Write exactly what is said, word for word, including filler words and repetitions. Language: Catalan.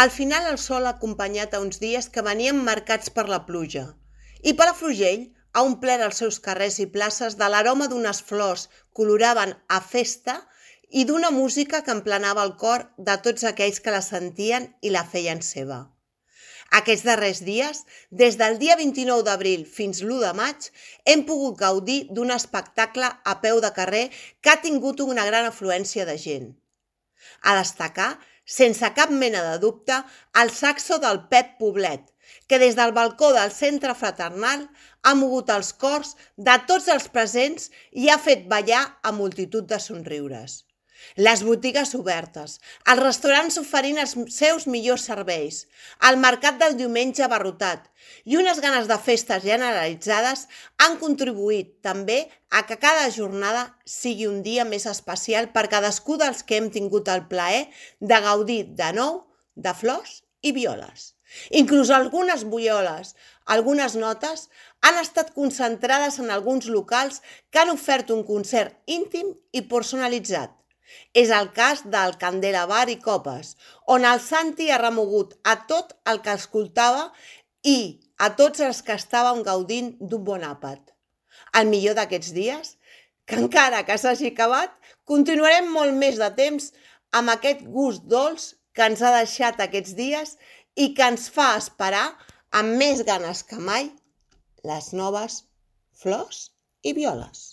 Al final el sol ha acompanyat a uns dies que venien marcats per la pluja, i Palafrugell ha omplert els seus carrers i places de l'aroma d'unes flors que oloraven a festa i d'una música que emplenava el cor de tots aquells que la sentien i la feien seva. Aquests darrers dies, des del dia vint-i-nou d'abril fins l'u de maig, hem pogut gaudir d'un espectacle a peu de carrer que ha tingut una gran afluència de gent. A destacar, sense cap mena de dubte, el saxo del Pep Poblet, que des del balcó del centre fraternal ha mogut els cors de tots els presents i ha fet ballar a multitud de somriures. Les botigues obertes, els restaurants oferint els seus millors serveis, el mercat del diumenge abarrotat i unes ganes de festes generalitzades han contribuït també a que cada jornada sigui un dia més especial per cadascú dels que hem tingut el plaer de gaudir de nou de flors i violes. Inclús algunes violes, algunes notes, han estat concentrades en alguns locals que han ofert un concert íntim i personalitzat. És el cas del Candela Bar i Copes, on el Santi ha remogut a tot el que escoltava i a tots els que estàvem gaudint d'un bon àpat. El millor d'aquests dies, que encara que s'hagi acabat, continuarem molt més de temps amb aquest gust dolç que ens ha deixat aquests dies i que ens fa esperar amb més ganes que mai les noves flors i violes.